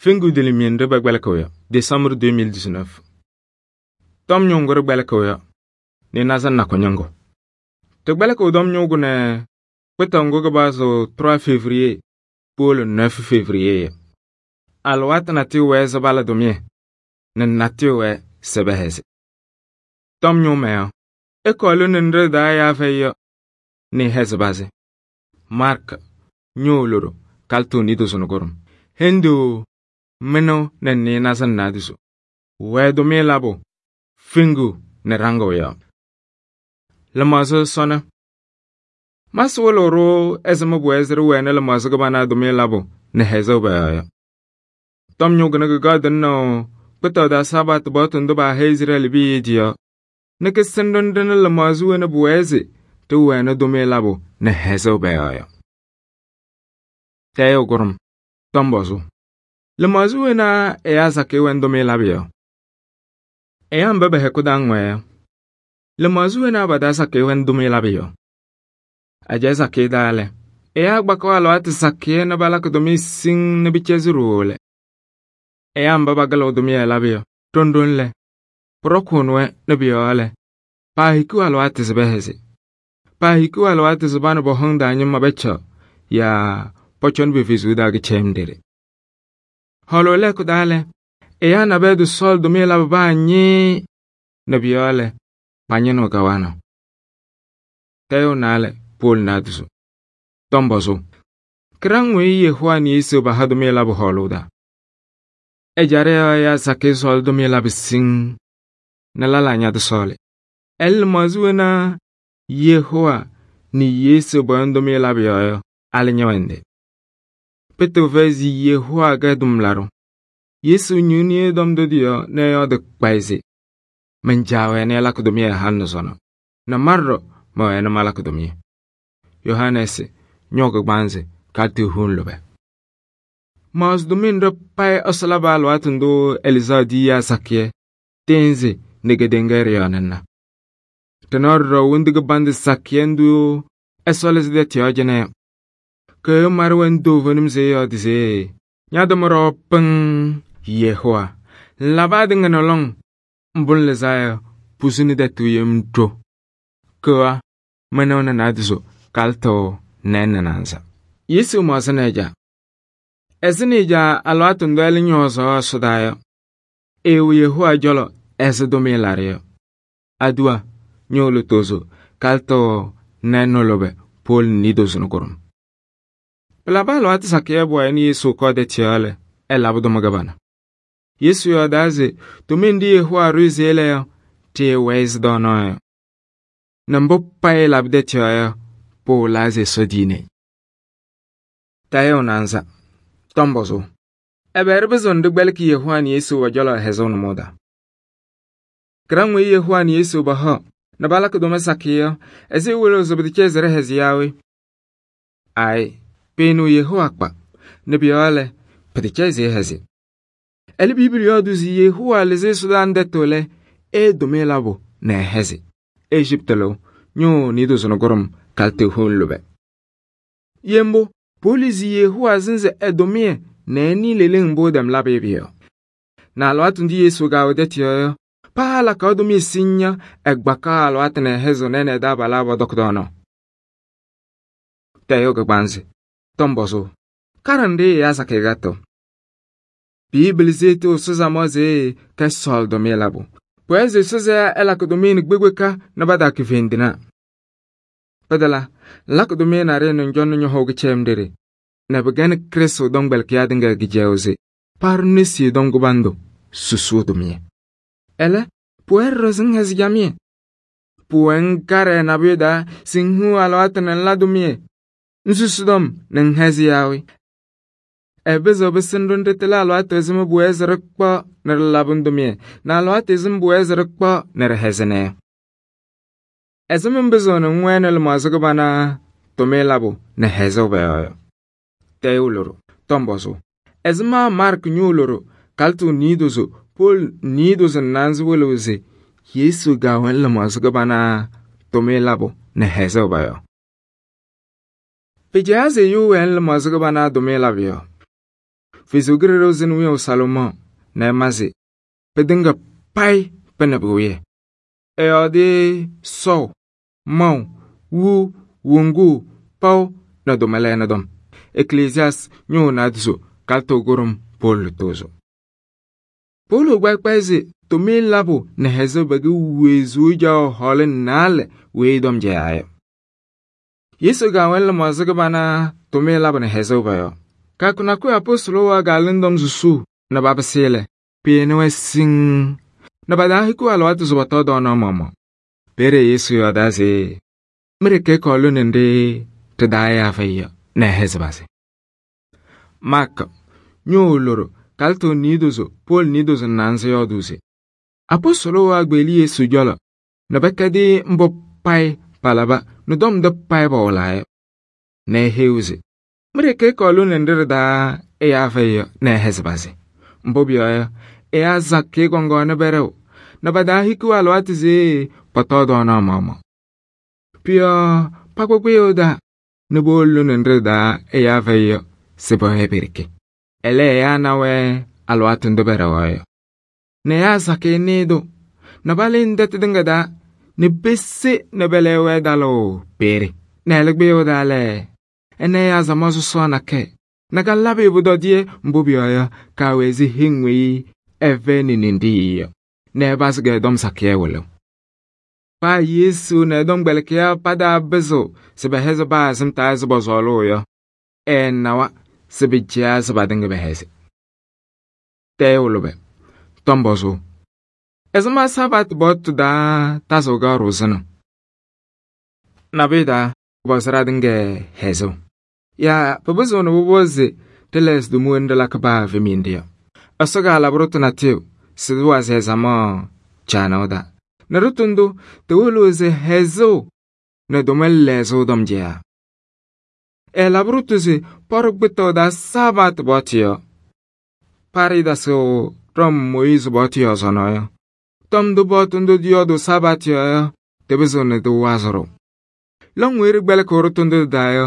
Fingu dilimien ɖe bekpelɩkɩɣ yɔ, Décembre 2019. Tɔm ñʋʋ ŋgʋ ɖɩkpɛlɩkɩɣ yɔ, nɩnaza nakʋ ñɩŋgʋ. Ɖɩkpɛlɩkɩɣ tɔm ñʋʋ ŋgʋ nɛ kpɩtaʋ ŋgʋ kɩpazʋ 3 févriye powolo 9 févriye yɔ. Alɩwaatʋ natʋyʋ wɛɛ se pala tʋmɩyɛ, nɛ natʋyʋ wɛɛ se pɛhɛzɩ. Tɔm ñʋʋ mɛyɔ, ɩkɔɔ lone nɖɩ ɖɩ-taa ɛyaa fɛyɩ yɔ, nɛ ɩhɛzɩ pazɩ. Mark ñʋʋ loɖo kalɩtʋ niidozo nɛ kʋɖʋm. Henduu mɩnʋ nɛ nɩɩnaza nɛ naadozo. Wɛɛ tʋmɩyɛ labʋ, fingu nɛ ɖaŋʋʋ yɔ. Lɩmaɣza sɔnɔ. Masɩ wɩlɩɣ-ɖʋ ɛzɩma pʋwɛɛ se ɖɩwɛnɩ lɩmaɣza kɩbana tʋmɩyɛ labʋ nɛ hɛzʋʋ pɔ-yɔɔ yɔ. Tɔm ñʋʋ kɩnɩ kɩkaɣ tɩŋnaʋ kpɩtaʋ taa Sabat paɣtʋ ndʋ paaha Izrɛɛlɩ piya tɩ-yɔɔ nɛ kɩsɩnɩ ɖɩnɩ lɩmaɣza wena pʋwɛɛ se tɩwɛnɩ tʋmɩyɛ labʋ nɛ hɛzʋʋ pɔ-yɔɔ yɔ. Tɛɛyʋ kʋɖʋm, tɔm pɔzʋ. Lɩmaɣza wena ɛyaa sakɩyɛ wɛnɩ tʋmɩyɛ labʋ yɔ? Ɛyaa mba pɛ-hɛkʋ taa ŋwɛɛ yɔ. Lɩmaɣza wena pa-taa sakɩyɛ wɛnɩ tʋmɩyɛ labʋ yɔ? Ajɛɛ sakɩyɛ taa lɛ, ɛyaa kpakaɣ alɩwaatʋ sakɩyɛ nɛ palakɩ tʋmɩyɛ siŋŋ nɛ pɩcɛzɩ ɖooo lɛ. Ɛyaa mba pakɩlɩɣ tʋmɩyɛ labʋ yɔ, ɖɔŋ lɛ, pʋɖɔkʋʋnɩ-wɛ nɛ pʋ-yɔɔ lɛ, paahikiɣ alɩwaatʋ se pɛhɛzɩ. Paahikiɣ alɩwaatʋ se pa nɛ pɔ-hɔŋ taa ñɩma pɛcaɣ yaa pɔcɔnɩ pe-fezuu taa kɩcɛyɩm ɖeɖe. Hɔɔlʋʋ lɛɛkʋ taa lɛ, ɛyaa nabɛyɛ tɩsɔɔlɩ tʋmɩyɛ labʋ paa ñɩɩ nɛ pʋ-yɔɔ lɛ, pañɩnɩɣ kawanaɣ. Tɛɛyʋ naalɛ Pɔɔl naadozo. Tɔm pɔzʋ. Kɩraŋ weyi Yehova nɛ Yesu paha tʋmɩyɛ labʋ hɔɔlʋʋ taa. Ɛjaɖɛ yɔɔ ɛyaa sakɩyɛ sɔɔlɩ tʋmɩyɛ labʋ siŋŋ nɛ lɛlaa ñatɩsɔɔlɩ. Ɛlɛ lɩmaɣza wena Yehova nɛ Yesu pɔyɔŋ tʋmɩyɛ labʋ yɔɔ yɔ, alɩ ñɛwɛnɩ. Pɩtɩɣ fɛyɩ se Yehova kɛ tʋmlaɖʋ. Yesu ñuuni tɔm ndʋ tɩ-yɔɔ nɛ ɛyɔɔdɩ kpayɩ se man-Caa wɛnɩ ɛlakɩ tʋmɩyɛ halɩ nɛ sɔnɔ, nɛ ma ɖɔɖɔ mɛwɛnɩ malakɩ tʋmɩyɛ. Yohanɛɛsɩ ñɔɔ kɩgbaanzɩ kalɩtʋ huun lʋbɛ. Maɣzɩ tʋmɩyɛ nɖɩ payɩ Ɛsɔ labɩ alɩwaatʋ ndʋ Elizaa di ɛyaa sakɩyɛ tɩɩnzɩ nɛ kedeŋa ɖɩ-yɔɔ nɛ ŋna. Ɖɩnaɣ ɖɔɖɔ wondu kɩbandʋ sakɩyɛ ndʋ Ɛsɔ lɩzɩ tɛtʋ yɔɔ cɩnɛ yɔ. Kɩyʋ marɩ wɛnɩ toovenim se ɛyɔɔdɩ se ña-tʋmɩ ɖɔɔ pɩŋ Yehova. Ŋlabɩ atɩŋa nɛ lɔŋ, mbʋ ŋlɩzaa yɔ, pusuni tɛtʋ yem ɖo. Kɩwa mɩnʋ nɛ naadozo kalɩtʋ nɛɛ nɛ naanza. Yesu mɔɔzɩnɩ ɛ-caa. Ɛzɩnɩ ɛ-caa alɩwaatʋ ndʋ ɛlɛ ñɔɔzaɣ ɛsɔdaa yɔ, ɛɛwɛ Yehova cɔlɔ ɛzɩ tʋmɩyɛ laɖɩ yɔ. Aduwa ñʋʋ lutozo kalɩtʋ nɛɛ nɛ lʋbɛ Pɔɔl niidozo nɛ kʋɖʋm. Pɩlabɩ alɩwaatʋ sakɩyɛ bʋwɛɛ nɛ Yesu kɔɔ tɛtʋ yɔɔ lɛ, ɛlabɩ tʋma kɩbana. Yesu yɔɔdaa se tʋmɩyɛ nɖɩ Yehova ɖʋ se ɛlɛ yɔ, tɩɩwɛɛ ɛzɩ dɔɔnɔɔ yɔ. Nɛ mbʋ payɩ labɩ tɛtʋ yɔɔ yɔ, pʋwʋlaa se Ɛsɔ diine. Tɛɛyʋ naanza. Tɔm pɔzʋ. Ɛbɛ ɖɩpɩzɩɣ nɛ ɖɩkpɛlɩkɩ Yehova nɛ Yesu pɔ-cɔlɔ hɛzʋʋ nʋmɔʋ taa? Kɩraŋ weyi Yehova nɛ Yesu paha nɛ palakɩ tʋma sakɩyɛ yɔ, ɛzɩ wɩlɩɣ se pɩtɩkɛɛ se ɖɩhɛzɩ yaa we? Aayɩ, pɩɩnʋʋ Yehova kpa, nɛ pʋ-yɔɔ lɛ, pɩtɩkɛɛ se ɛhɛzɩ. Ɛlɛ Bibili yɔɔdʋ se Yehova lɩzɩ ɛsɔdaa ndɛtʋ lɛ, ɛɛ tʋmɩyɛ labʋ nɛ ɛhɛzɩ. Ejiptɩ lɩʋ ñʋʋ niidozo nɛ kʋɖʋm kalɩtʋ huun lʋbɛ. Yembʋ, Pɔɔlɩ zi Yehova sɩnzɩ ɛ-tʋmɩyɛ nɛ ɛnɩ leleŋ mbʋ ɛtɛm labɩ pʋ-yɔɔ. Nɛ alɩwaatʋ ndʋ Yesu kaawɛ tɛtʋ yɔɔ yɔ, paa lakaɣ tʋmɩyɛ siŋŋ yɔ, ɛgbakaɣ alɩwaatʋ nɛ ɛhɛzɩɣ nɛ ɛ-taabalaa pɔdɔkɩ dɔɔnɔɔ. Tɛɛyʋ kɩgbaanzɩ. Tɔm pɔzʋ. Karɩ nɖɩ ɛyaa sakɩyɛ gatʋ. Bibili zeetɩ sʋzamɔ se kɛ sɔɔlɩ tʋmɩyɛ labʋ. Pʋwɛɛ se sʋzɛɛ ɛlakɩ tʋmɩyɛ nɛ kpekpeka nɛ pataakɩ fendina. Pɩdɩla, ŋlakɩ tʋmɩyɛ naɖɩyɛ nɛ ŋcɔnɩ ñɔhɔɔ kɩcɛyɩm ɖeɖe, nɛ pɩgɛnɩ Krɩstʋ tɔmkpɛlɩkɩyaa tɩŋa kɩcɛyʋʋ se paɖʋ nesi tɔm kɩbandʋ susuu tʋmɩyɛ. Ɛlɛ, pʋwɛɛ ɖɔɖɔ se ŋhɛzɩ camɩyɛ. Pʋwɛɛ ŋkarɩ nabʋyʋ taa se ŋhiu alɩwaatʋ nɛ ŋla tʋmɩyɛ, ŋsusu tɔm nɛ ŋhɛzɩ yaa we? Ɛpɩzɩɣ pɩsɩnɩ ɖʋ ndɩtɩlɛ alɩwaatʋ ɛzɩma pʋwɛɛ se ɖɩkpaɣ nɛ ɖɩlabɩ tʋmɩyɛ, nɛ alɩwaatʋ ɛzɩma pʋwɛɛ se ɖɩkpaɣ nɛ ɖɩhɛzɩnɩ yɔ. Ɛzɩma ŋpɩzɩɣ nɛ ŋwɛnɩ lɩmaɣza kɩbana tʋmɩyɛ labʋ nɛ hɛzʋʋ pɔ-yɔɔ yɔ? Tɛɛyʋ loɖo. Tɔm pɔzʋ. Ɛzɩma Mark ñʋʋ loɖo kalɩtʋ niidozo Pɔɔl niidozo nɛ naanza wɩlɩɣ se Yesu gaawɛnɩ lɩmaɣza kɩbana tʋmɩyɛ labʋ nɛ hɛzʋʋ pɔ-yɔɔ? Pɩcɛyaa se ɛyʋ wɛnɩ lɩmaɣza kɩbana tʋmɩyɛ labʋ yɔ. Ɛsɔ Kalɩzaɣ zɩnɩ wiyaʋ Salomɔɔ nɛ ɛmazɩ pɩtɩŋa payɩ pɩnɩ pʋwɩyɛ. Ɛyɔɔdɩ sɔʋ, maʋ, wuu, woŋuu, paʋ nɛ tʋmɛlɛɛnɩ tɔm. Eklesiyaas ñʋʋ naadozo kalɩtʋ kʋɖʋm Pɔɔlɩ tʋʋzʋ. Pɔɔlɩ kpɛkpɛyɛ se tʋmɩyɛ labʋ nɛ hɛzʋʋ pɛkɛ wezuu caɣʋ hɔɔlɩŋ 4 weyi tɔm cɛyaa yɔ. Yesu kaawɛnɩ lɩmaɣza kɩbana tʋmɩyɛ labʋ nɛ hɛzʋʋ pɔ-yɔɔ. Kɩyakʋ nakʋyʋ apɔstʋlʋ waa kaalɩŋ tɔm susuu nɛ papɩsɩ lɛ, pɩɩnɩ-wɛ siŋŋ nɛ pa-taa hikiɣ alɩwaatʋ se pɔtɔɔ tɔɔnaɣ maɣmaɣ. Peeye Yesu yɔɔdaa se mi-ɖeke ɛkɔɔ lone nɖɩ ɖɩ-taa ɛyaa fɛyɩ yɔ nɛ ɛhɛzɩ pazɩ. Maakɩ ñʋʋ loɖo kalɩtʋ niidozo Pɔɔlɩ niidozo nɛ naanza yɔɔdʋʋ se apɔstʋlʋ waa kpeɣli Yesu cɔlɔ nɛ pɛkɛdɩ mbʋ payɩ palaba nɛ tɔm ndʋ payɩ pɔwɩlaa yɔ. Nɛ eheyi-wɛ se mi-ɖeke ɛkɔɔ lone nɖɩ ɖɩ-taa ɛyaa fɛyɩ yɔ nɛ ɛhɛzɩ pazɩ. Mbʋ pʋyɔɔ yɔ, ɛyaa sakɩyɛ kɔŋaɣnɩ pɛɖɛʋ nɛ pa-taa hikiɣ alɩwaatʋ se pɔtɔɔ tɔɔnaɣ maɣmaɣ. Pʋ-yɔɔ pakʋ kpɩyʋʋ taa nɛ powolo lone nɖɩ ɖɩ-taa ɛyaa fɛyɩ yɔ se pɛwɛɛ pe-ɖeke. Ɛlɛ ɛyaa na-wɛ alɩwaatʋ ndʋ pɛɖɛɣaɣ yɔ. Nɛ ɛyaa sakɩyɛ nɩɩ-tʋ nɛ palɩnɩ tɛtʋ tɩŋa taa nɛ pese nɛ pɛlɛɣ-wɛ talʋʋ peere. Nɛ ɛlɛ kpɩyʋʋ taa lɛ, ɛnɛ ɛyaa samaɣ sɔsɔɔ nakɛyɛ nɛ kalabɩ pʋtɔdɩyɛ, mbʋ pʋyɔɔ yɔ, kaawɛ ɛzɩ heŋ weyi ɛfɛyɩnɩ ninɖɩɣ yɔ nɛ ɛpazɩ kɛ-tɔm sakɩyɛ wɩlɩɣ. Paa Yesu nɛ ɛ-tɔmkpɛlɩkɩyaa pataa pɩzɩɣ se pɛhɛzɩ paa sɩm taa ɛzɩ pɔsɔɔlʋʋ yɔ, ɛɛnawa se pɩcaɣ se patɩŋa pɛhɛzɩ. Tɛɛyʋ lʋbɛ, tɔm pɔzʋʋ: ɛzɩma Sabatɩ paɣtʋ taa tazɩɣ kaɣʋrʋ sɩnɩ? Nabʋyʋ taa pʋpɔzɩ ɖatɩŋa hɛzʋʋ. Yaa pɩpɩzɩɣ nɛ pʋpɔzɩ se tɩla ɛzɩ tʋmʋwɛnɩ ɖɩlakɩ paa fɛmɩyɛnɖɩ yɔ. Ɛsɔ kaalabɩ ɖʋtʋ natʋyʋ se tɩwazɩ ɛzamaɣ caanaʋ taa. Nɛ ɖʋtʋ ndʋ tɩwɩlɩɣ se hɛzʋʋ nɛ tʋmɛlɛ lɛɛsʋʋ tɔm cɛyaa. Ɛɛlabɩ ɖʋtʋ se pɔɖɔ kpɩtaʋ taa Sabatɩ paɣtʋ yɔ. Paɖɩ tasɩɣ tɔm Mooyɩzɩ paɣtʋ yɔɔ sɔnɔ yɔ. Tɔm ndʋ paɣtʋ ndʋ dɩyɔɔdʋ Sabatɩ yɔɔ yɔ, tɩpɩzɩɣ nɛ tɩwazɩ-ɖʋ. Lɔŋ weyi ɖɩkpɛlɩkɩɣ ɖʋtʋ ndʋ tɩ-taa yɔ,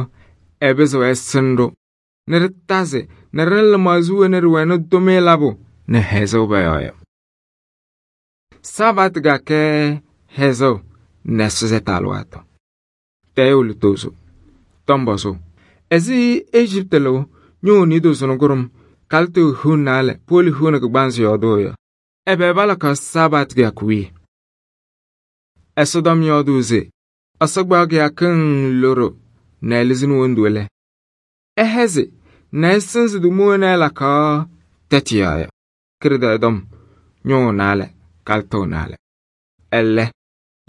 ɛpɩzɩɣ ɛsɩnɩ-ɖʋ nɛ ɖɩtazɩ nɛ ɖɩnɩ lɩmaɣza wena ɖɩwɛnɩ tʋmɩyɛ labʋ nɛ hɛzʋʋ pɔ-yɔɔ yɔ. Sabatɩ kakɛ hɛzʋʋ nɛ sʋzɛtɩ alɩwaatʋ. Tɛɛyʋ lʋtʋʋzʋ, tɔm pɔzʋʋ: ɛzɩ Ejiptɩ lʋʋ ñʋʋ niidozo nʋ kʋɖʋm kalɩtʋ hiu 4 Pɔɔlɩ hiu nɛ kɩgbansɩ yɔɔdʋʋ yɔ, ɛbɛ palakaɣ Sabatɩ kɩyakʋ wiye? Ɛsɔtɔm yɔɔdʋʋ se Ɛsɔ kpaɣ kɩyakɩŋ loɖo nɛ ɛlɩzɩnɩ wondu lɛ, ɛhɛzɩ nɛ ɛsɩnzɩ tʋmʋwɛnɩ ɛlakaɣ tɛtʋ yɔɔ yɔ. Kɩrɩtɛɩ tɔm ñʋʋ 4 kalɩtʋ 4. Ɛlɛ,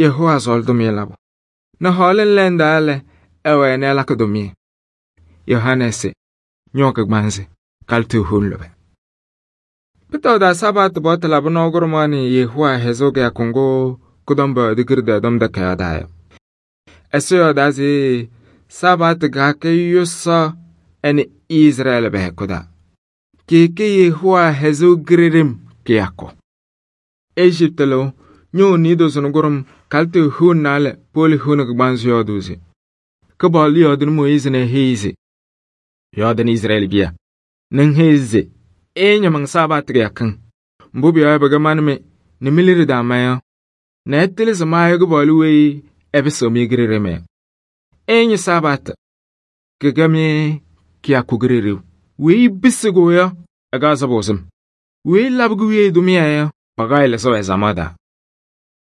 Yehowa sɔɔlɩ tʋmɩyɛ labʋ nɛ hɔɔlɩŋ lɛndaa lɛ, ɛwɛnɩ ɛlakɩ tʋmɩyɛ. Yohanɛɛsɩ ñʋʋ kɩgbansɩ kalɩtʋ hiu lʋbɛ. Pɩtaʋ taa Sabatɩ paɣtʋ labɩ nɔɔ kʋɖʋmaɣ nɛ Yehowa hɛzʋʋ kɩyakʋ ŋgʋ kʋtɔm bɔyɔɔdɩ kɩrɩtɛɩ tɔm takayaɣ taa yɔ. Ɛsɔ yɔɔdaa se Sabatɩ kaakɛ yʋsɔ ɛnɩ Izrɛɛlɩ pɛ-hɛkʋ taa. Kɩɩkɛ Yehowa hɛzʋʋ gireɖem kɩyakʋ. Ejiptɩ lʋʋ ñʋʋ niidozo nʋ kʋɖʋm kalɩtʋ hiu 4 Pɔɔlɩ hiu nɛ kɩgbansɩ yɔɔdʋʋ se Kɩpaɣlʋ yɔɔdɩnɩ Mooyɩzɩ nɛ eheyi se: yɔɔdɩnɩ Izrɛɛlɩ biya nɛ ŋheyi se ɩɩñɩmɩŋ Sabatɩ kɩyakɩŋ. Mbʋ pʋyɔɔ yɔ pɩkɛmanɩ-mɩ nɛ mi-liɖe daa mayɔ nɛ ɛtɩlɩ se maayɔ Kɩpaɣlʋ weyi ɛpɩsɩɣ-mɩ gireɖem yɔ. Ɩɩñɩ Sabatɩ kɩkɛ-mɩ kɩyakʋ gireɖew. Weyi bisɩ-kʋ yɔ, ɛkaɣ sɩbʋ sɩm. Weyi labɩ wiye tʋmɩyɛ yɔ, pakaɣ lɩsɩɣ ɛzamaɣ taa.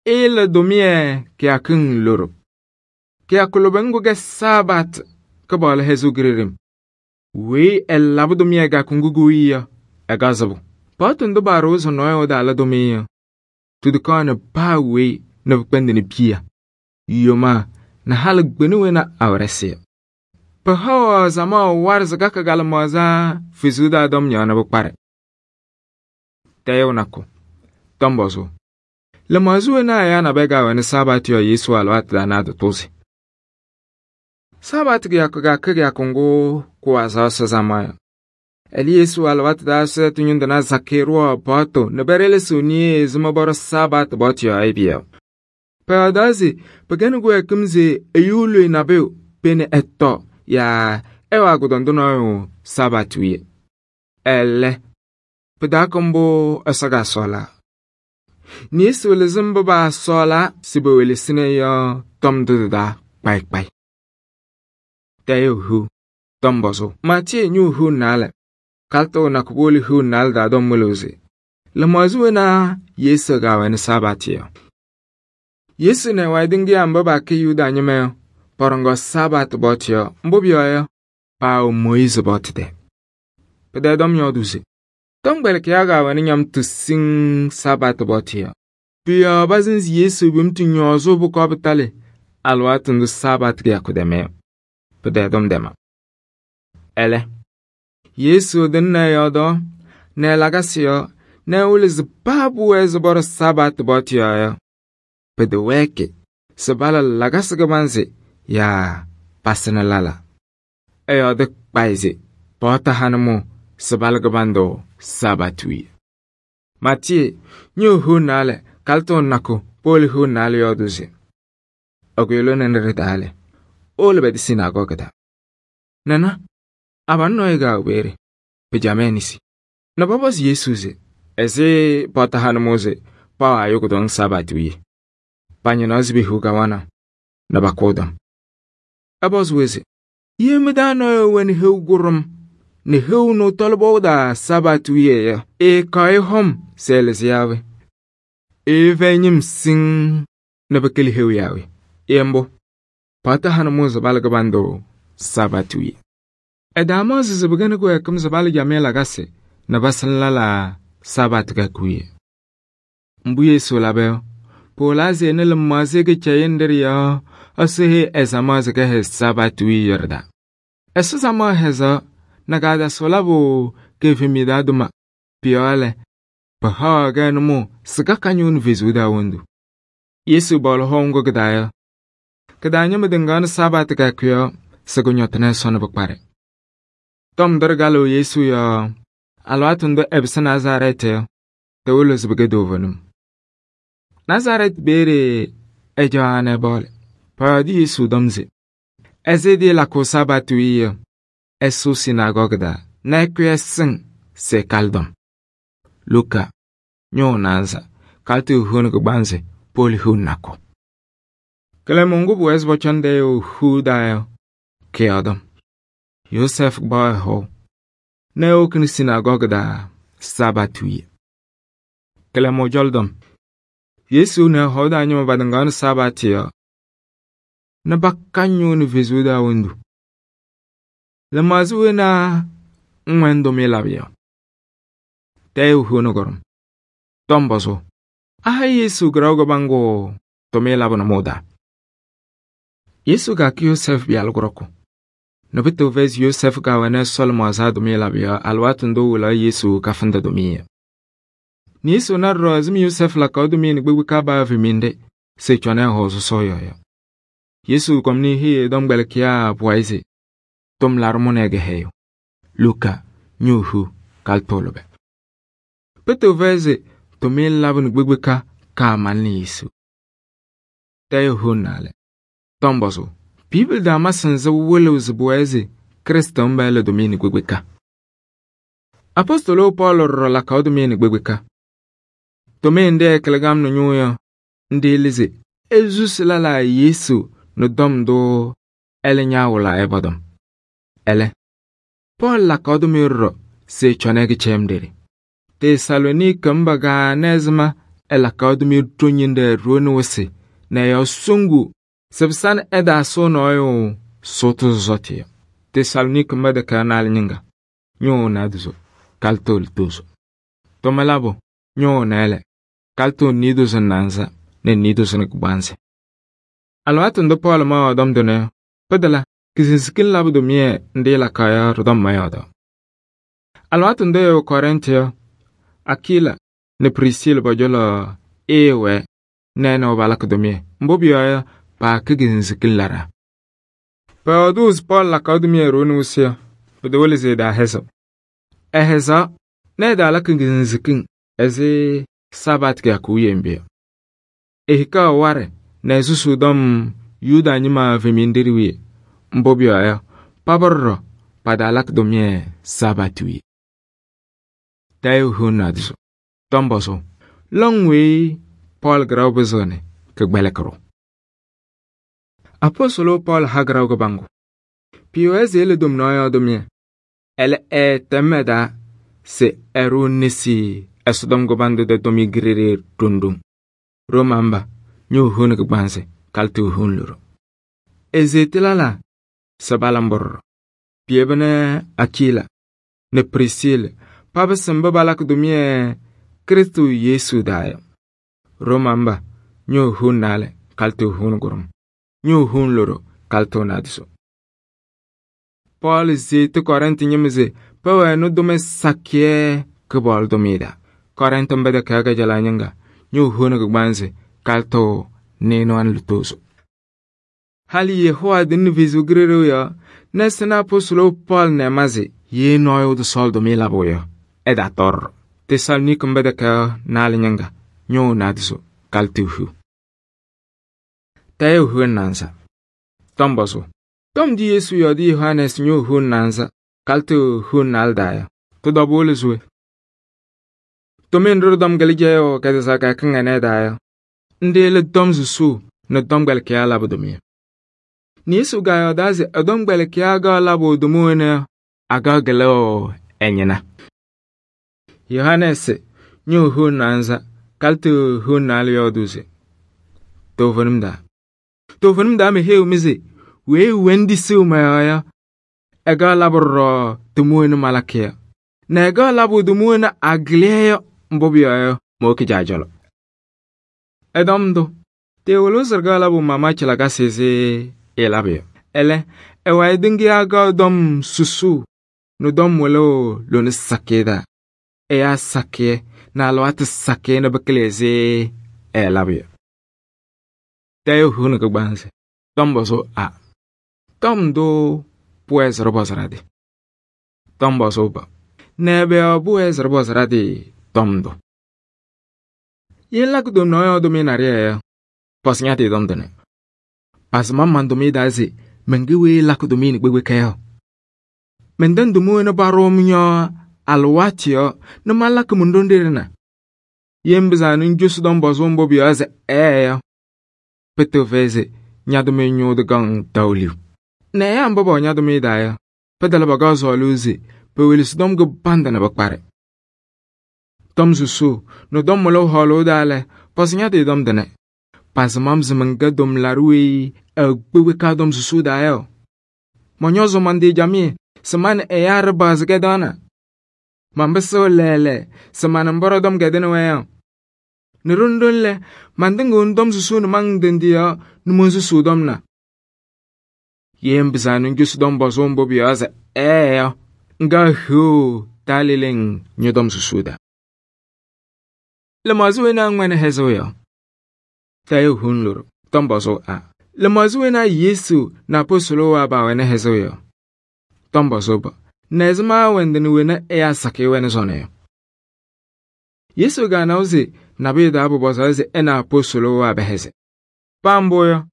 Ɩɩlɩ tʋmɩyɛ kɩyakɩŋ loɖo. Kɩyakʋ lʋbɛ ŋgʋ kɛ Sabatɩ Kɩpaɣlʋ hɛzʋʋ gireɖem. Weyi ɛlabɩ tʋmɩyɛ kɩyakʋ ŋgʋ kɩwiye yɔ, ɛkaɣ sɩbʋ. Paɣtʋ ndʋ paaɖʋʋ se nɔɔyʋ ɛtaala tʋmɩyɛ yɔ, tɩtɩkaɣnɩ paa weyi nɛ pɩkpɛndɩnɩ piya, yomaa nɛ halɩ kpɩnɩ wena awɛrɛsɩ yɔ. Pɩhaɣ zamaɣ warɩ se kakɩ kalɩmaɣza Fesuu daa tɔm yɔɔ nɛ pɩkparɛ. Tɛɛyʋ nakʋ, tɔm pɔzʋʋ: lɩmaɣza wena ɛyaa nabɛyɛ kaawɛnɩ Sabatɩ yɔɔ Yesu alɩwaatʋ taa nɛ atɩtʋʋzɩ. Sabatɩ kɩyakʋ kaakɛ kɩyakʋ ŋgʋ kʋwazɩɣ Ɛsɔ zama yɔ. Ɛlɛ Yesu alɩwaatʋ taa sʋɛtʋ ñʋndʋna zakɩyɛ ɖʋwaɣ paɣtʋ nɛ pɛɖɛlɩsɩɣ niye ɛzɩma pɔɖɔ Sabatɩ paɣtʋ yɔɔ yɩbɩ yɔ. Pɛyɔɔdaa se pɩkɛnɩ kɩwɛɛkɩm se ɛyʋ loe nabʋyʋ pene ɛtɔ yaa ɛwaa kʋdɔndʋ nɔɔyʋ Sabatɩ wiye. Ɛlɛ, pɩtaakɛ mbʋ Ɛsɔ kaasɔɔlaa. Yesu lɩzɩ mbʋ paasɔɔlaa se pewelesini yɔ tɔm ndʋ tɩ-taa kpayɩ kpayɩ. Tɛɛyʋ hiu tɔm pɔzʋ. Maatiyee ñʋʋ hiu naalɛ. Kalɩtʋ nakʋ powolo hiu naalɛ daa tɔm wɩlɩɣ se lɩmaɣza wena Yesu kaawɛnɩ Sabatɩ yɔ. Yesu nɛ ɛ-wayɩ tɩŋɩyaa mba paakɛ Yuda ñɩma yɔ, pɔɖɔŋaɣ Sabatɩ paɣtʋ yɔɔ. Mbʋ pʋyɔɔ yɔ, paawɛ Mooyiizi paɣtʋ tɛɛ. Pɩtɛɛ-tɔm yɔɔdʋʋ se tɔmkpɛlɩkɩyaa kaawɛnɩ ñamtʋ siŋŋ Sabatɩ paɣtʋ yɔɔ. Pʋ-yɔɔ pasɩnzɩ Yesu pɩmtʋ ñɔɔzʋʋ pʋkɔɔ pɩtalɩ alɩwaatʋ ndʋ Sabatɩ kɩyakʋ tɛmɛ yɔ. Pɩtɛɛ-tɔm tɛma. Ɛlɛ, Yesu tɩŋnɩ ɛ-yɔɔdaɣ nɛ ɛ-lakasɩ yɔɔ nɛ ɛwɩlɩ se paa pʋwɛɛ se pɔɖɔ Sabatɩ paɣtʋ yɔɔ yɔ, pɩtɛwɛɛkɩ se pala lakasɩ kɩbanzɩ yaa pasɩnɩ lala. Ɛyɔɔdɩ kpayɩ se paɣtʋ hanɩmʋʋ se pala kɩbandʋ Sabatɩ wiye. Maatiyee ñʋʋ hiu naalɛ, kalɩtʋ nakʋ powolo hiu naalɛ yɔɔdʋʋ se ɛkʋyɛ lone nɛ ɖɩ-taa lɛ, ewolo bɛdɩ sinaagɔɔgɩ taa. Nɛna, abalʋ nɔɔyʋ kaawɛ peeye. Pɩjamɛ e-nesi nɛ pɔpɔzɩ Yesu se ɛzɩ paɣtʋ hanɩmʋʋ se pawɛ ayʋ kʋdɔŋ Sabatɩ wiye. Pañɩnaɣ se pehiɣ kawanaɣ nɛ pakʋ ɛ-tɔm. Ɛpɔzɩ-wɛ se ye mɩ-taa nɔɔyʋ wɛnɩ heu kʋɖʋm nɛ heu nʋ tɔlɩ pɔʋ daa Sabatɩ wiye yɔ, ɛɛkaɣ-ɩ hɔm se ɛlɩzɩ yaa we? Ɛɛfɛyɩ ñɩm siŋŋ nɛ pɩkɩlɩ heu yaa we? Ye mbʋ, paɣtʋ hanɩmʋʋ se pala kɩbandʋ Sabatɩ wiye. Ɛdaamaɣzɩ se pɩkɛnɩ kɩwɛɛkɩm se pala jamɩyɛ lakasɩ nɛ pasɩnɩ lala Sabatɩ kɩyakʋ wiye. Mbʋ Yesu labɛ yɔ, pɩwɩlaa se ɛnɩ lɩmaɣza kɩcɛyɩŋ ɖɩ ɖɩ-yɔɔ Ɛsɔ heyi ɛzamaa se kɛhɛzɩ Sabatɩ wiye yɔ ɖɩ-taa. Ɛsɔ samaɣ hɛzaɣ nɛ kaatasɩ labʋ kɩɩfɛmɩyɛ daa tʋma. Pʋ-yɔɔ lɛ, pɩhaɣaɣ-kɛ nʋmɔʋ se kaka ñʋʋnɩ Fesu daa wondu. Yesu bɔɔlɩ hɔm ŋgʋ kɩ-taa yɔ, kɩ-taa ñɩma tɩŋaɣnɩ Sabatɩ kɩyakʋ yɔɔ se kʋñɔtɩnɩ Ɛsɔ nɛ pɩkparɛ. Tɔm ndʋ ɖɩgalɩɣ Yesu yɔɔ alɩwaatʋ ndʋ ɛpɩsɩ Nazarɛɛtɩ yɔ, tɩwɩlɩɣ se pɩkɛ toovenim. Nazarɛɛtɩ peeye ɛjaɣaɣ nɛ ɛbɔɔlɩ. Pɔyɔɔdɩ Yesu tɔm se ɛzɩ dɩɩlakʋʋ Sabatɩ wiye yɔ, ɛsʋʋ sinaagɔɔgɩ daa nɛ ɛkʋyɛ ɛsɩŋ se ɛkalɩ tɔm. Luka ñʋʋ naanza, kalɩtʋ hiu nɛ kɩgbanzɩ powolo hiu nakʋ. Kɩlɛmɩŋ ŋgʋ pʋwɛɛ se pɔcɔnɩ dɛɛ hiu daa yɔ, kɩyɔɔdɔm. Yosɛfɩ kpaɣ ɛ-hɔʋ nɛ ɛwokini sinaagɔɔgɩ daa Sabatɩ wiye. Kɩlɛmɩŋ jɔlɩdɔm, Yesu nɛ ɛ-hɔʋ daa ñɩma patɩŋaɣnɩ Sabatɩ yɔɔ nɛ baka ñʋʋnɩ Fesu daa wondu. Lɩmaɣza wena ŋwɛnɩ tʋmɩyɛ labɩ yɔ. Tɛɛyʋ hiu nɛ kʋɖʋm. Tɔm pɔzʋ. Aha Yesu kɩraɣʋ kɩbaŋgʋ tʋmɩyɛ labɩ nʋmɔʋ daa. Yesu kaakɛ Yosɛfɩ pɩyalʋ kʋɖɔkʋ nɛ pɩtɩɣ fɛyɩ se Yosɛfɩ kaawɛnɩ Ɛsɔ lɩmaɣza tʋmɩyɛ labɩ yɔ alɩwaatʋ ndʋ wɩlaɣ Yesu kafɩndɩ tʋmɩyɛ. Nɛ Yesu na ɖɔɖɔ ɛzɩma Yosɛfɩ lakaɣ tʋmɩyɛ nɛ kpekpe baa fɛmɩnɩ se cɔnɩ ɛ-hɔʋ sɔsɔɔ yɔɔ yɔ. Yesu kɔm nɩ eheyi ɛ-tɔmkpɛlɩkɩyaa pʋwayɩ se tʋm laɖʋ mʋ nɛ ɛ-kɛhɛyʋ. Luka ñʋʋ hiu kalɩtʋ lʋbɛ. Pɩtɩɣ fɛyɩ se tʋmɩyɛ labɩ nɛ kpekpe kaamalɩnɩ Yesu. Tɛɛyʋ hiu naalɛ. Tɔm pɔzʋ. Bibili daa masɩ nzɩ wɩlɩɣ se pʋwɛɛ se Krɩstʋ mba ɛlɛ tʋmɩyɛ nɛ kpekpe. Apɔstɔlʋ Pɔɔlɩ ɖɔɖɔ lakaɣ tʋmɩyɛ nɛ kpekpe. Tʋmɩyɛ ndɩ ɛkɩlɩ gam nʋ ñʋʋ yɔ, ndɩ lɩ se ezusi lala Yesu nʋ tɔm ndʋ ɛlɛ ñaawɩlaa ɛbɔdɔm. Ɛlɛ, Pɔɔlɩ lakaɣ tʋmɩyɛ ɖɔɖɔ se cɔnɩ ɛkɩcɛyɩm ɖeɖe. Tesaloniikɩ mba gaa nɛ ɛzɩma ɛlakaɣ tʋmɩyɛ toññiŋ rooni wɩsɩ nɛ ɛyaɣ soŋgu se pɩsanɩ ɛdaasʋ nɔɔyʋ sʋʋtʋ sɔsɔtɩ yɔ. Tesaloniikɩ mba dɛkɛɛ naalɩ ñɩŋga ñʋʋ naaduzo kalɩtʋ litozo. Tʋmɩ labʋ ñʋʋ nɛɛlɛ kalɩtʋ niidozo naanza nɛ niidozo nɛ kɩgbanzɩ. Alɩwaatʋ ndʋ Pɔɔlɩ ma yɔɔdɔm dʋnɔ yɔ, pɩdɩla kɩsɩnsikɩn labɩ tʋmɩyɛ ndɩ lakaɣ yɔ ɖɩ-tɔm ma yɔɔdaɣ. Alɩwaatʋ ndʋ ɛwɛ Kɔrɩntɩ yɔ, Akila nɛ Prisɩlɩ pɔjɔlɔ ɛɛwɛɛ nɛ ɛ nɛ wɛ balakɩ tʋmɩyɛ. Mbʋ pʋyɔɔ yɔ, paakɛ kɩsɩnsikɩn laɖaa. Pɔyɔɔdʋ se Pɔɔlɩ lakaɣ tʋmɩyɛ rooni wɩsɩ yɔ, pɩtɛwɩlɩ se ɛdaahɛzɩɣ. Ɛhɛzaɣ nɛ ɛdaalakɩ kɩsɩnsikɩn ɛzɩ Sabatɩ kɩyakʋ wiye mbɩ yɔ. Ehikaɣ warɛ nɛ ɛsusuu tɔm Yuda ñɩma fɛmɩnɩ ɖɩ wiye. Mbʋ pʋyɔɔ yɔ, paba ɖɔɖɔ padaalakɩ tʋmɩyɛ Sabatɩ wiye. tayo hun nadiso. Tomboso. Long way Paul graw bezone ke gbelekro. Apostolo Paul hagraw ke bango. Piweze ele dom noyo domye. Ele temeda se eru nisi esodom go bando de domi grere tundum. Romamba nyu hun ke gbanse kaltu hun luro. Ezetilala sabalambor. Piebene Akila ne Priscille paba samba balak domye Kristo Yesu dayo. Romamba nyu hun nale kaltu hun gurum. Nyu hun luro kaltu nadiso. Paul zete Korinte nyemize pawe no dome sakye ke bol domida. Korinte mbede kaga jala nyanga nyu hun ke gbanse kaltu neno an lutoso. Hali Yehowa din vizu grero ya nesena apostolo Paul ne mazi ye noyo de sol domila boyo. Eda tor. Tesalnik mbede ka nal nyanga nyu nadiso kaltu hu. Tayo hun nansa. Tomboso. Tom di Yesu yodi Yohanes nyu hun nansa kaltu hun naldaya. To dobole zwe. Tomin rodom galijayo kada saka kangane daya. Ndele dom zusu na dom galkia labo domi. Ni Yesu gayo dazi dom galkia ga labo domone aga galo enyena. Yohanes nyu hun nansa kaltu hun nal yoduze. Tofunum da me heu mize. We wendi siu maya ega laboro tumuene malakia na ega labo tumuene agleyo mbobia moki jajolo edomdo te wolo serga labo mama chilaga seze elabio ele ewa edingi aga dom susu no dom wolo lo sakeda eya sake na alwat sake na bekleze elabio tayo hunu ko banse tomboso a Tom do pues robosradi. Tom bosoba. Nebe pues robosradi Tom do. Yela kudo noyo dominaria. Pas nyati Tom dene. Pas mamman domi dazi mengiwe la kudo mini gbewe kayo. Menden dumu na barom nyo alwatio na malak mundondirina. Yembizanu njus Tom bosombo biaze Peto veze nyadome nyo de gang tauliu. Ne ya mbaba nya dumi daya pedala baga zoluzi pe wilis dom go banda na bakpare dom susu no dom molo holo dale pas nya de dom dene pas mam zmenga dom larui gbewe ka dom susu daya monyozo mandi jami seman yar baz gedana mambeso lele seman mboro dom gedene waya ne rondole mandingo dom susu no mang dendia no mon susu dom na Yembizanu njus dom bozombo biaza nga hu talileng nyodom susuda. Le mazuena ngwene hezoya. Tayo hunlur dom bozo a. Le mazuena Yesu na apostolo wa ba wene hezoya. Dom bozoba. Nezma wendeni wene eya sake wene zone. Yesu ga nauzi nabida abu bozaze ena apostolo wa beheze. Pamboya.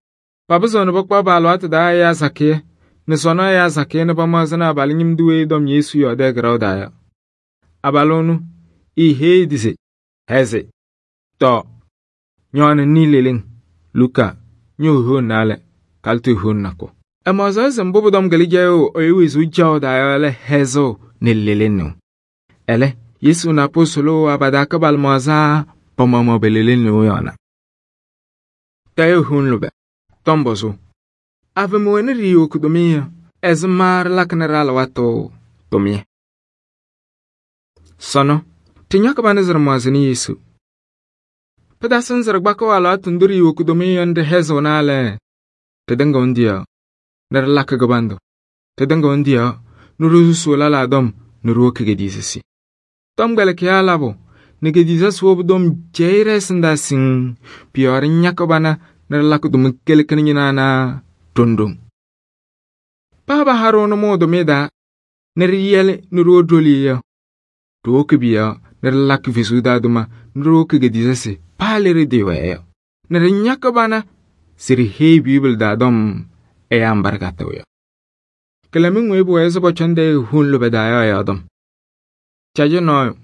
Papazono bakpa balwat da ya sake ne sono ya sake ne pamazana balingim duwe dom Yesu yode grawdaya abalonu he dise heze to nyon ni lelin Luka nyu ho nale kaltu ho nako amaza mbobo dom galijayo oyewizu jawdaya le hezo ne lelin ele Yesu na apostolo abadaka balmaza pomamo belelin no yana tayo hunlube Tombozo. Ave moene rio kudomia. Ezmar lakneral wato. Tomie. Sono. Tinyaka banezar mwazini Yesu. Pedasan zarbako ala tunduri rio kudomia nde hezo nale. Tedenga undia. Ner laka gabando. Tedenga undia. Nuru suolala dom. Nuru kegedizesi. Tom galekia labo. Negedizes wobdom jaires ndasing. Pior nyaka bana. Nerlak dum kelekenya na tundum. Paba harono modo meda neriyele nuro doliya. To kbiya nerlak visuda duma nuro kegedizese palere dewa. Nernyaka bana siri he bible da dom ambargata ya. Kelamin webo ezo bochande hun lo bedaya ya dom. Chaje no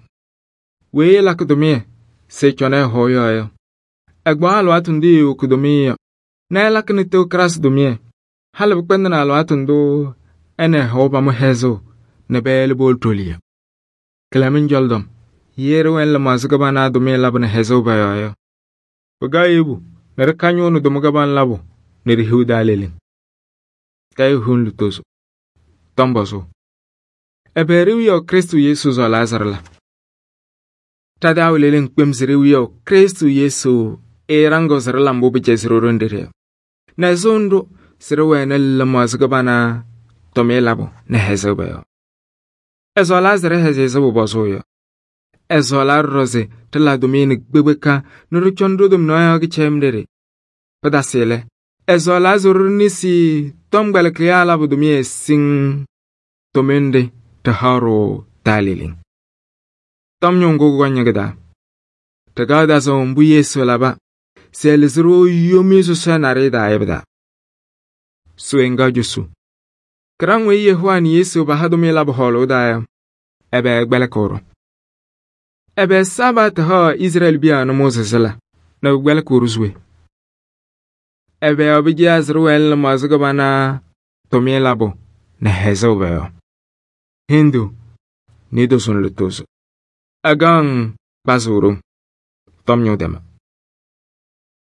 weyi ɛlakɩ tʋmɩyɛ se ɛcɔnɩ ɛhɔɔ yɔ yɔ, ɛgbaɣ alɩwaatʋ ndʋ eewoki tʋmɩyɛ yɔ nɛ ɛlakɩnɩ Tewokrasɩ tʋmɩyɛ. Halɩ pɩkpɛndɩnɩ alɩwaatʋ ndʋ ɛ nɛ ɛhɔɔ pamʋ hɛzʋʋ nɛ pɛyɛlɩ powolo toliya. Kɩlɛmɩŋ cɔlɔ-tɔm, ye ɖɩwɛnɩ lɩmaɣza kɩbana tʋmɩyɛ labʋ nɛ hɛzʋʋ pɔ-yɔɔ yɔ, pɩkaɣ yebu nɛ ɖɩkañʋʋnɩ tʋma kɩbana labʋ nɛ ɖi-hiu taa leleŋ. Tayɩɣ hiu lutozo. Tɔm pɔzʋʋ: ɛbɛ ɖe-wiyaʋ Krɩstʋ Yesu sɔɔlɩ Laazarɩ la? Ɖa-taa leleŋ kpem se ɖe-wiyaʋ Krɩstʋ Yesu ɛɛɖaŋɩɣ se ɖɩla mbʋ pɩcɛzɩ ɖo ɖenɖe ɖɩyɔ, nɛ sʋʋ ndʋ se ɖɩwɛnɩ lɩmaɣza kɩbana tʋmɩyɛ labʋ nɛ hɛzʋʋ pɔ-yɔɔ. Ɛsɔɔlaa se ɖɩhɛzɩ ɛzɩ pʋpɔzʋʋ yɔ. Ɛsɔɔlaa ɖɔɖɔ se ɖɩla tʋmɩyɛ nɛ kpekpeka nɛ ɖɩcɔnɩ ɖo-tomnaɣ yɔɔ kɩcɛyɩm ɖeɖe. Pɩtasɩ lɛ, ɛsɔɔlaa se ɖɩnɩsɩ tɔmkpɛlɩkɩyaa labʋ tʋmɩyɛ siŋŋ tʋmɩyɛ nɖɩ ɖɩhaɣ-ɖʋ taa leleŋ. Tɔm ñʋʋ ŋgʋ kʋkɔŋ ñɩ-kɩ-taa. Ɖɩkaɣ dasʋʋ mbʋ Yesu laba se ɛlɩzɩ-ɖʋ yomiye sɔsɔɖɛ naɖɩyɛ taa yɔ pɩ-taa. Sʋʋ ŋga cosu. Kɩɖaŋ weyi Yehova nɛ Yesu paha tʋmɩyɛ labʋ hɔɔlʋʋ taa yɔ, ɛbɛ ɛkpɛlɩkɩɣ-ɖʋ? Ɛbɛ Sabatɩ haɣ Izrɛɛlɩ piya nʋmɔʋ sɩsɩla nɛ pɩkpɛlɩkɩɣ-ɖʋ se we? Ɛbɛ yɔɔ pɩcɛyaa se ɖɩwɛnɩ lɩmaɣza kɩbana tʋmɩyɛ labʋ nɛ hɛzʋʋ pɔ-yɔɔ? Hendu ni dʋsʋ nɛ lutozo. Agaŋ kpazɩɣ ɖoŋ. Tɔm ñʋʋ tɛma.